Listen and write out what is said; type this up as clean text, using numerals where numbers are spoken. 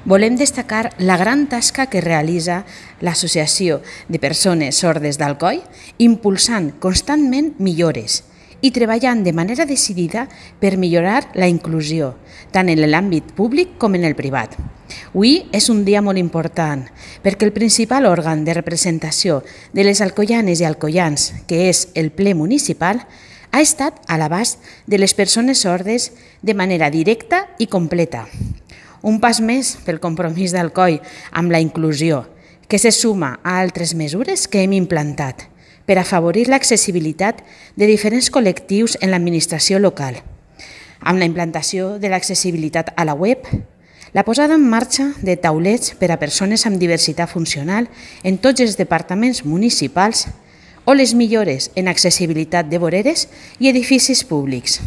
volem destacar la gran tasca que realitza l'Associació de Persones Sordes d'Alcoi, impulsant constantment millores i treballant de manera decidida per millorar la inclusió, tant en l'àmbit públic com en el privat. Avui és un dia molt important perquè el principal òrgan de representació de les alcoianes i alcoians, que és el ple municipal, ha estat a l'abast de les persones sordes de manera directa i completa. Un pas més pel compromís d'Alcoi amb la inclusió, que se suma a altres mesures que hem implantat per afavorir l'accessibilitat de diferents col·lectius en l'administració local, amb la implantació de l'accessibilitat a la web, la posada en marxa de taulets per a persones amb diversitat funcional en tots els departaments municipals o les millores en accessibilitat de voreres i edificis públics.